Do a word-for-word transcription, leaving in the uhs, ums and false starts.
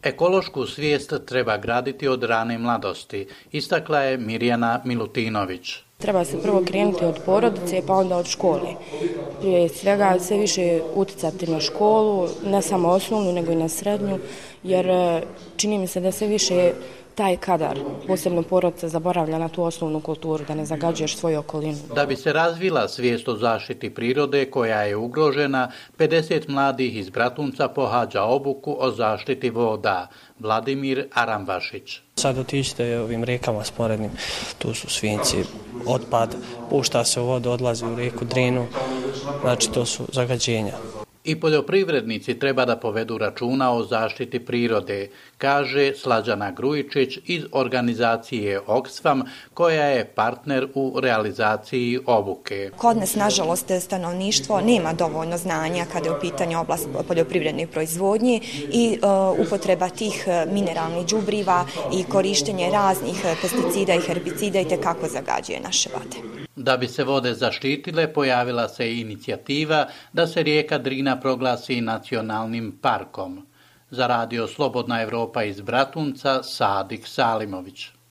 Ekološku svijest treba graditi od rane mladosti, istakla je Mirjana Milutinović. Treba se prvo krenuti od porodice pa onda od škole. Prije svega sve više utjecati na školu, ne samo osnovnu nego i na srednju, jer čini mi se da sve više taj kadar, posebno porodica, zaboravlja na tu osnovnu kulturu, da ne zagađuješ svoju okolinu. Da bi se razvila svijest o zaštiti prirode koja je ugrožena, pedeset mladih iz Bratunca pohađa obuku o zaštiti voda. Vladimir Aramvašić. Sad otiđite ovim rijekama sporednim, tu su svinjci, otpad, pušta se u vodu, odlazi u rijeku Drinu, znači to su zagađenja. I poljoprivrednici treba da povedu računa o zaštiti prirode, kaže Slađana Grujičić iz organizacije Oxfam, koja je partner u realizaciji obuke. Kod nas, nažalost, stanovništvo nema dovoljno znanja kada je u pitanju oblast poljoprivredne proizvodnje i uh, upotreba tih mineralnih đubriva i korištenje raznih pesticida i herbicida i tekako zagađuje naše vode. Da bi se vode zaštitile, pojavila se i inicijativa da se rijeka Drina proglasi nacionalnim parkom. Za radio Slobodna Evropa iz Bratunca, Sadik Salimović.